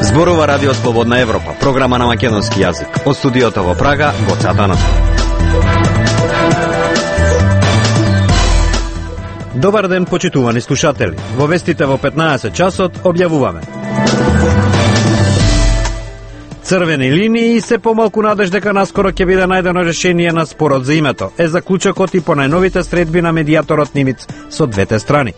Зборува Радио Слободна Европа, програма на македонски јазик. Од студиото во Прага, Гоце Атанасов. Добар ден, почитувани слушатели. Во вестите во 15 часот објавуваме: црвени линии и се помалку надеж дека наскоро ќе биде најдено решение на спорот за името, е заклучокот и по најновите средби на медијаторот Нимиц со двете страни.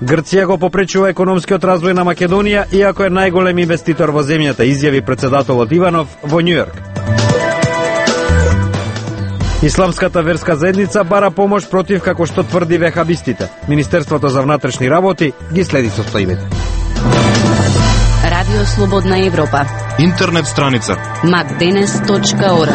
Грција го попречува економскиот развој на Македонија, иако е најголем инвеститор во земјата, изјави председателот Иванов во Њујорк. Исламската верска заедница бара помош против, како што тврди вехабистите. Министерството за внатрешни работи ги следи состојбите. Радио Слободна Европа. Интернет страница macdenes.org.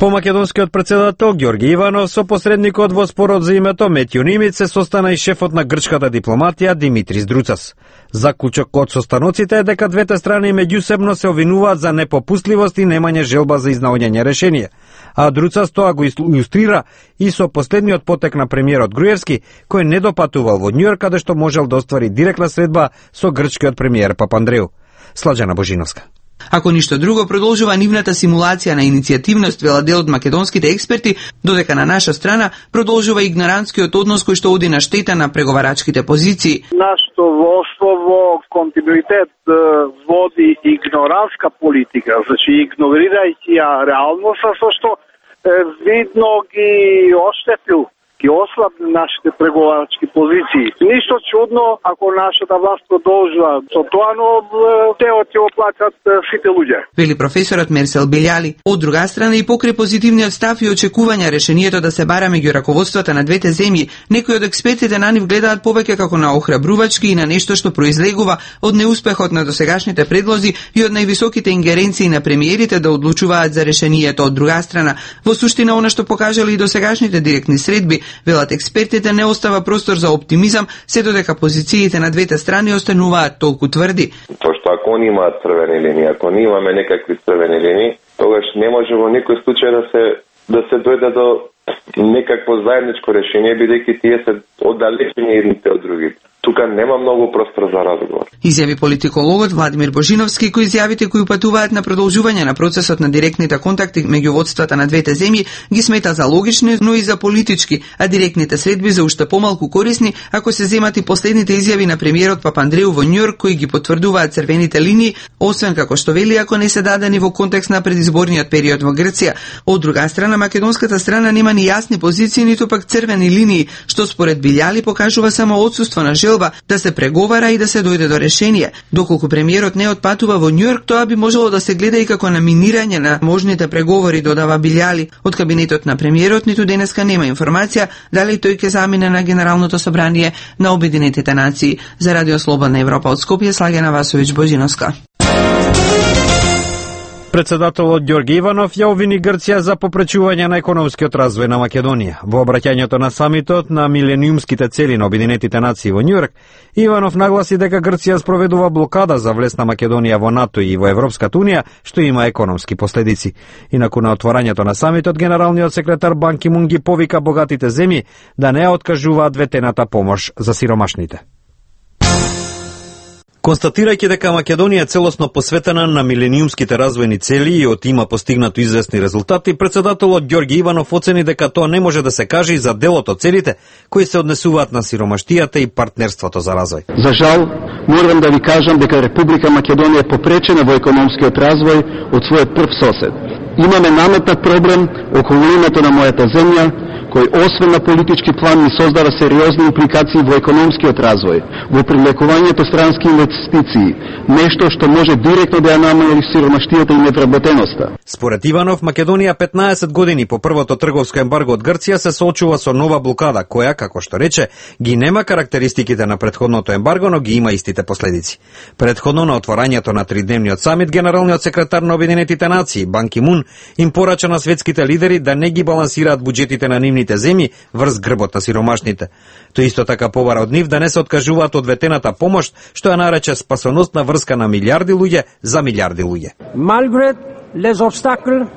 По македонскиот председател Ѓорги Иванов со посредникот во спорот за името Метју Нимиц се состана и шефот на грчката дипломатија Димитрис Друцас. Заклучокот од состаноците е дека двете страни меѓусебно се обвинуваат за непопустливост и немање желба за изнаоѓање решение. А Друцас тоа го илустрира и со последниот потек на премиерот Груевски, кој не допатувал во Њујорк, каде што можел да оствари директна средба со грчкиот премиер Папандреу. Слаđана Божиновска. Ако ништо друго, продолжува нивната симулација на иницијативност, вела дел од македонските експерти, додека на наша страна продолжува игнорантскиот однос кој што оди на штета на преговарачките позиции. Нашето воштво во континуитет води игнорантска политика, значи игнорирајќи ја реалноста, со што видно ги оштетил, ги ослабни нашите преговарачки позиции. Ништо чудно ако нашата власт продолжува со тоа, но теот ќе оплатат сите луѓе. Вели професорот Мерсел Белјали. Од друга страна и покрај позитивниот став и очекувања решението да се бара меѓу раководствата на двете земји, некои од експертите на нив гледаат повеќе како на охрабрувачки и на нешто што произлегува од неуспехот на досегашните предлози и од највисоките ингеренции на премиерите да одлучуваат за решението. Од друга страна, во суштина она што покажале и досегашните директни средби, велат експертите, не остава простор за оптимизам, се додека позициите на двете страни остануваат толку тврди. Тоа што ако они имаат црвени линии, ако ние имаме некакви црвени линии, тогаш не може во никој случај да се дојде до некакво заедничко решение, бидејќи тие се оддалечени едните од другите. Тука нема многу простор за разговор. Изјави политикологот Владимир Божиновски, кои изјавите кои патуваат на продолжување на процесот на директните контакти меѓу водствата на двете земји ги смета за логични, но и за политички, а директните средби за уште помалку корисни ако се земат и последните изјави на премиерот Папандреу во Њујорк, кои ги потврдуваат црвените линии, освен како што вели ако не се дадени во контекст на предизборниот период во Грција. Од друга страна, македонската страна нема ни јасни позиции, ниту пак црвени линии, што според Билјали покажува само отсуство на желба да се преговара и да се дојде до решение. Доколку премиерот не отпатува во Њујорк, тоа би можело да се гледа и како наминирање на можните преговори, додава Билјали. Од кабинетот на премиерот ниту денеска нема информација дали тој ќе замине на Генералното собрание на Обединетите нации. За Радио Слободна Европа од Скопје, Слаѓана Васовиќ Божиновска. Председателот Ѓорги Иванов ја обвини Грција за попречување на економскиот развој на Македонија. Во обраќањето на самитот на милениумските цели на Обединетите нации во Њујорк, Иванов нагласи дека Грција спроведува блокада за влез на Македонија во НАТО и во Европската унија, што има економски последици. Инаку на отворањето на самитот, генералниот секретар Бан Ки Мун ги повика богатите земји да не ја откажуваат ветената помош за сиромашните. Констатирајќи дека Македонија е целосно посветена на милениумските развојни цели и од има постигнато известни резултати, председателот Ѓорги Иванов оцени дека тоа не може да се каже и за делот од целите кои се однесуваат на сиромаштијата и партнерството за развој. За жал, морам да ви кажам дека Република Македонија е попречена во економскиот развој од својот прв сосед. Имаме наметнат проблем околу името на мојата земја, кој освен на политички план ни создава сериозни импликации во економскиот развој, во привлекувањето странски инвестиции, нешто што може директно да ја намали сиромаштијата и невработеноста. Според Иванов, Македонија 15 години по првото трговско ембарго од Грција се соочува со нова блокада, која, како што рече, ги нема карактеристиките на претходното ембарго, но ги има истите последици. Претходно на отворањето на тридневниот самит, генералниот секретар на Обединетите нации Бан Ки Мун им порача на светските лидери да не ги балансираат буџетите на нивните земји врз грбот на сиромашните. Тој исто така побара од нив да не се откажуваат од ветената помош, што ја нарече спасоносна врска на милиарди луѓе за милиарди луѓе. Malgré les obstacles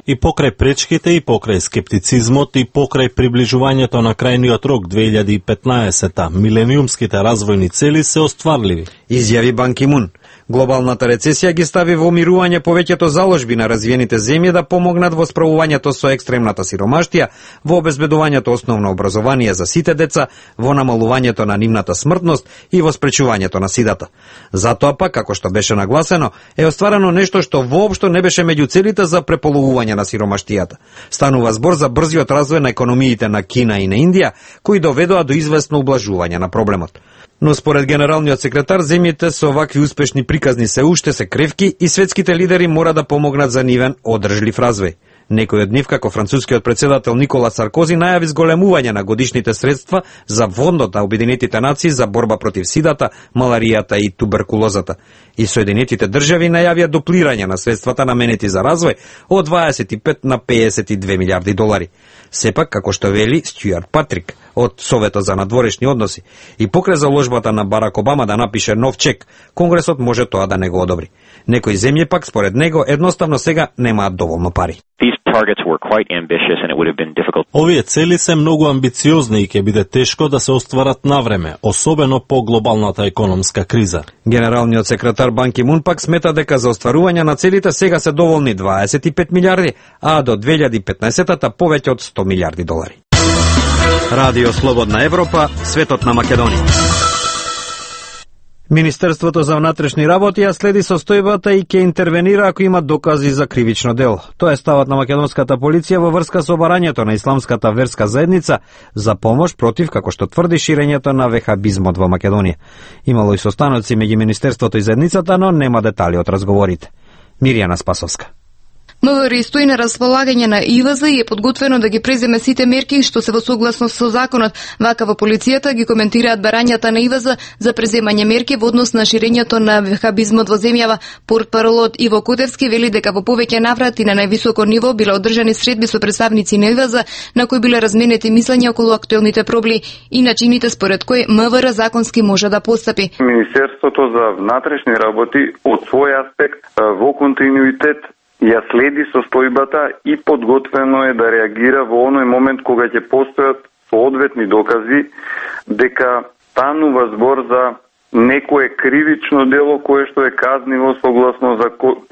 И покрај пречките, и покрај скептицизмот, и покрај приближувањето на крајниот рок 2015-та, милениумските развојни цели се остварливи. Изјави Бан Ки Мун. Глобалната рецесија ги стави во мирување повеќето заложби на развиените земји да помогнат во справувањето со екстремната сиромаштија, во обезбедувањето основно образование за сите деца, во намалувањето на нивната смртност и во спречувањето на сидата. Затоа пак, како што беше нагласено, е остварено нешто што воопшто не беше меѓу целите за преполовување на сиромаштијата. Станува збор за брзиот развој на економиите на Кина и на Индија, кои доведоа до известно ублажување на проблемот. Но според генералниот секретар, земјите со вакви успешни приказни се уште се кревки и светските лидери мора да помогнат за нивен одржлив развој. Некој од нив, како францускиот председател Никола Саркози, најави зголемување на годишните средства за Фондот на Обединетите нации за борба против сидата, маларијата и туберкулозата. И Соединетите држави најавија дуплирање на средствата наменети за развој од 25 на 52 милиарди долари. Сепак, како што вели Стюарт Патрик од Советот за надворешни односи, и покрај заложбата на Барак Обама да напише нов чек, Конгресот може тоа да не го одобри. Некои земји пак, според него, едноставно сега немаат доволно пари. Овие цели се многу амбициозни и ќе биде тешко да се остварат навреме, особено по глобалната економска криза. Генералниот секретар Бан Ки Мун пак смета дека за остварување на целите сега се доволни 25 милиарди, а до 2015-та повеќе од 100 милиарди долари. Радио Слободна Европа, светот на Македонија. Министерството за внатрешни работи ја следи состојбата и ќе интервенира ако има докази за кривично дело. Тоа е ставот на македонската полиција во врска со барањето на исламската верска заедница за помош против, како што тврди, ширењето на вехабизмот во Македонија. Имало и состаноци меѓу Министерството и заедницата, но нема детали од разговорите. Мирјана Спасовска. МВР стои на располагање на ИВЗ и е подготвено да ги преземе сите мерки што се во согласност со законот. Вака во полицијата ги коментираат барањата на ИВЗ за преземање мерки во однос на ширењето на вехабизмот во земјава. Портпаролот Иво Кутевски вели дека во повеќе наврати на највисоко ниво биле одржани средби со представници на ИВЗ на кои биле разменети мислења околу актуелните проблеми и начините според кои МВР законски може да постапи. Министерството за внатрешни работи од свој аспект во континуитет ја следи состојбата и подготвено е да реагира во оној момент кога ќе постојат соодветни докази дека станува збор за некое кривично дело кое што е казниво согласно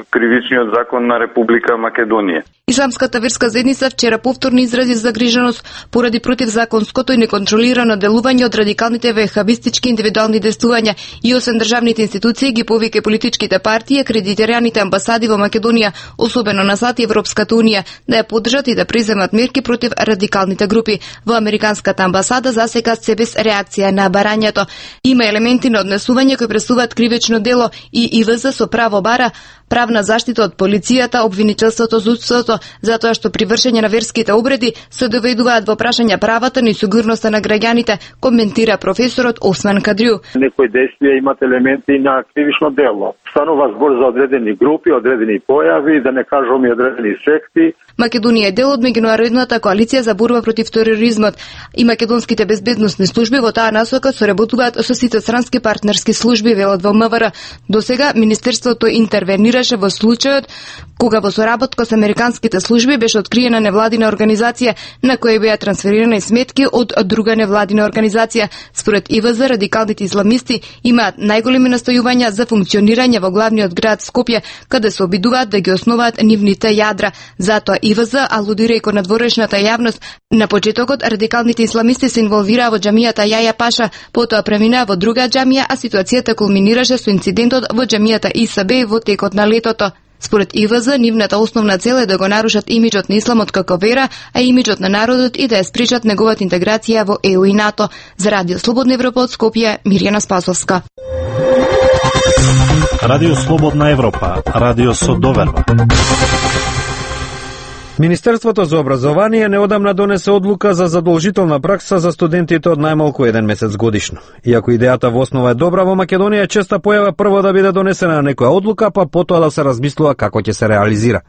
кривичниот закон на Република Македонија. Исламската верска заедница вчера повторно изрази загриженост поради противзаконското и неконтролирано делување од радикалните вехабистички индивидуални действувања и освен државните институции ги повика политичките партии и акредитираните амбасади во Македонија, особено на САД и Европската унија, да ја поддржат и да преземат мерки против радикалните групи. Во Американската амбасада засега се без реакција на барањето. Има елементи на однесување кои пресуваат кривично дело и ИВЗ со право бара правна заштита од полицијата, обвинителството, судството, затоа што при вршење на верските обреди се доведуваат во прашање правата и сигурноста на граѓаните, коментира професорот Осман Кадрю. Некои действија имат елементи на кривично дело. Станува збор за одредени групи, одредени појави, да не кажам и одредени секти. Македонија е дел од меѓународната коалиција за борба против тероризмот и македонските безбедносни служби во таа насока соработуваат со сите странски партнерски служби, велат во МВР. До сега Министерството интервенираше во случајот кога во соработка со американските служби беше откриена невладина организација на која беа трансферирани сметки од друга невладина организација. Според ИВЗ, радикалните исламисти имаат најголеми настојувања за функционирање во главниот град Скопје, каде се обидуваат да ги основаат нивните јадра. Затоа ИВЗ алудира и кон надворешната јавност. На почетокот радикалните исламисти се инволвираа во џамијата Јаја Паша, потоа преминаа во друга џамија, а ситуацијата кулминираше со инцидентот во џамијата Исабе во текот на летото. Според ИВЗ, нивната основна цел е да го нарушат имиџот на исламот како вера, а имиџот на народот и да ја спречат неговата интеграција во ЕУ и НАТО. За Радио Слободна Европа од Скопје, Мирјана Спасовска. Радио Слободна Европа, радио со доверба. Министерството за образование неодамна донесе одлука за задолжителна пракса за студентите од најмалку 1 месец годишно. Иако идејата во основа е добра, во Македонија честа појава прво да биде донесена некоја одлука, па потоа да се размислува како ќе се реализира.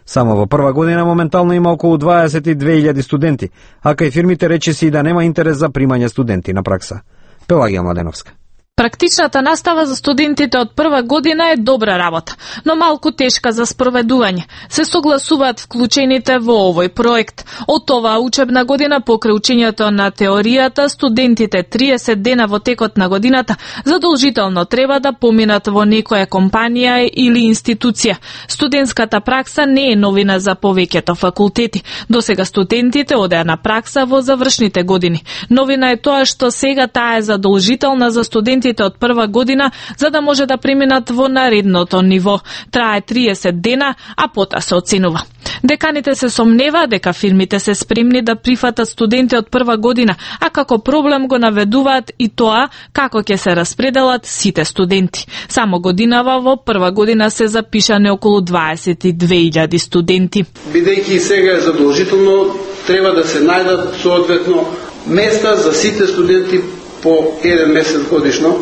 Само во прва година моментално има околу 22.000 студенти, а кај фирмите речиси и да нема интерес за примање студенти на пракса. Пелагија Младеновска. Практичната настава за студентите од прва година е добра работа, но малку тешка за спроведување. Се согласуваат вклучените во овој проект. Од оваа учебна година покрај учењето на теоријата, студентите 30 дена во текот на годината задолжително треба да поминат во некоја компанија или институција. Студентската пракса не е новина за повеќето факултети. Досега студентите одеа на пракса во завршните години. Новина е тоа што сега таа е задолжителна за студентите од прва година, за да може да преминат во наредното ниво. Трае 30 дена, а потоа се оценува. Деканите се сомневаа дека фирмите се спремни да прифатат студенти од прва година, а како проблем го наведуваат и тоа како ќе се распределат сите студенти. Само годинава во прва година се запишане околу 22.000 студенти. Бидејќи сега е задолжително, треба да се најдат соодветно места за сите студенти по еден месец годишно.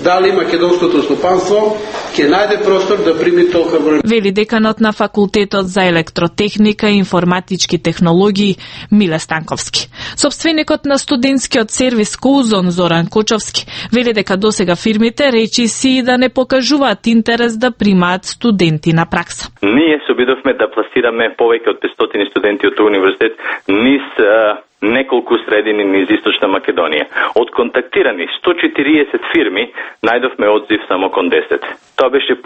Дали македонското стопанство ќе најде простор да прими толку број. Вели деканот на факултетот за електротехника и информатички технологии Миле Станковски. Собственикот на студентскиот сервис Коузон Зоран Кочовски вели дека досега фирмите речи си да не покажуваат интерес да примаат студенти на пракса. Ние се обидовме да пласираме повеќе од 500 студенти од универзитет низ неколку средини низ Источна Македонија. Од контактирани 140 фирми, најдовме одзив само кон 10. Тоа беше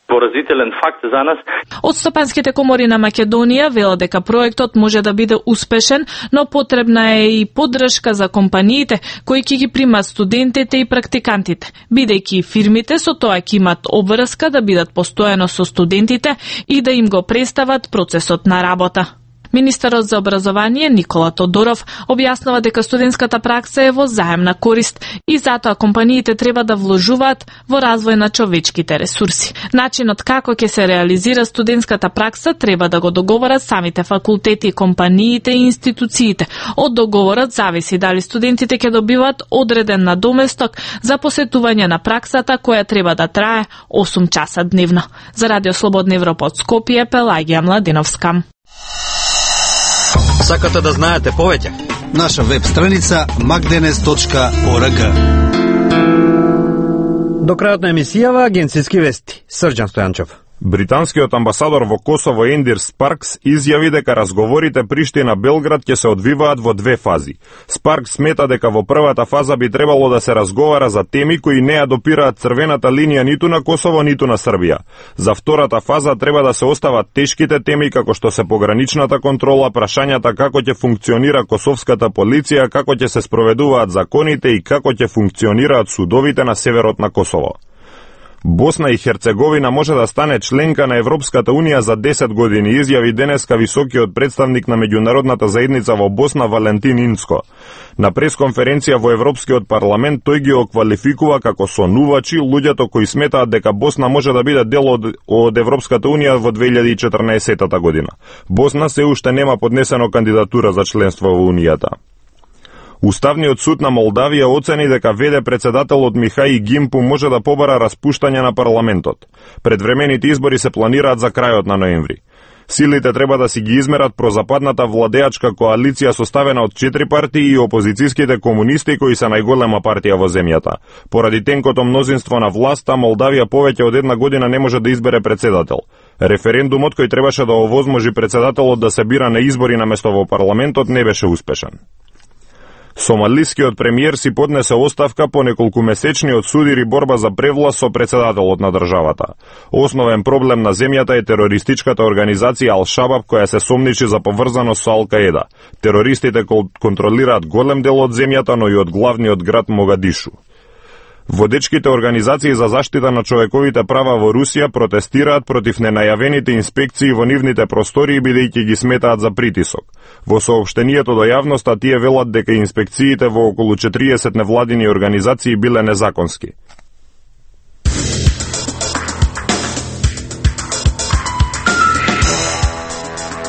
поразителен факт за нас. Од стопанските комори на Македонија велат дека проектот може да биде успешен, но потребна е и поддршка за компаниите кои ќе ги примаат студентите и практикантите, бидејќи фирмите со тоа ќе имат обврска да бидат постојано со студентите и да им го представат процесот на работа. Министерот за образование Никола Тодоров објаснува дека студентската пракса е во заемна корист и затоа компаниите треба да вложуваат во развој на човечките ресурси. Начинот како ќе се реализира студентската пракса треба да го договорат самите факултети, компаниите и институциите. Од договорот зависи дали студентите ќе добиваат одреден надоместок за посетување на праксата која треба да трае 8 часа дневно. За Радио Слободна Европа од Скопје, Пелагија Младиновска. Сакате да знаете повеќе? Наша веб страница magdenes.org. До крајот на емисијава агенцијски вести. Срđan Стојанчев. Британскиот амбасадор во Косово Ендир Спаркс изјави дека разговорите Приштина-Белград ќе се одвиваат во две фази. Спаркс смета дека во првата фаза би требало да се разговара за теми кои не ја допираат црвената линија ниту на Косово, ниту на Србија. За втората фаза треба да се остават тешките теми како што се пограничната контрола, прашањата како ќе функционира косовската полиција, како ќе се спроведуваат законите и како ќе функционираат судовите на северот на Косово. Босна и Херцеговина може да стане членка на Европската Унија за 10 години, изјави денеска високиот представник на меѓународната заедница во Босна Валентин Инцко. На пресконференција во Европскиот парламент тој ги оквалификува како сонувачи луѓето кои сметаат дека Босна може да биде дел од Европската Унија во 2014 година. Босна се уште нема поднесено кандидатура за членство во Унијата. Уставниот суд на Молдавија оцени дека ВД председателот Михај Гимпу може да побара распуштање на парламентот. Предвремените избори се планираат за крајот на ноември. Силите треба да си ги измерат прозападната владеачка коалиција составена од 4 партии и опозицијските комунисти кои се најголема партија во земјата. Поради тенкото мнозинство на власта, Молдавија повеќе од една година не може да избере председател. Референдумот кој требаше да овозможи председателот да се бира на избори наместо во парламентот не беше успешен. Сомалискиот премиер си поднесе оставка по неколкумесечниот судир и борба за превласт со председателот на државата. Основен проблем на земјата е терористичката организација Ал-Шабаб која се сомничи за поврзаност со Ал-Каеда. Терористите контролираат голем дел од земјата, но и од главниот град Могадишу. Водечките организации за заштита на човековите права во Русија протестираат против ненајавените инспекции во нивните простории бидејќи ги сметаат за притисок. Во соопштението до јавноста тие велат дека инспекциите во околу 40 невладини организации биле незаконски.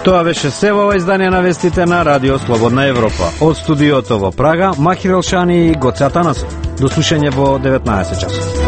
Тоа беше се во издание на вестите на Радио Слободна Европа. Од студиото во Прага, Махир Елшани и Гоце Атанасов. До слушање во 19 часот.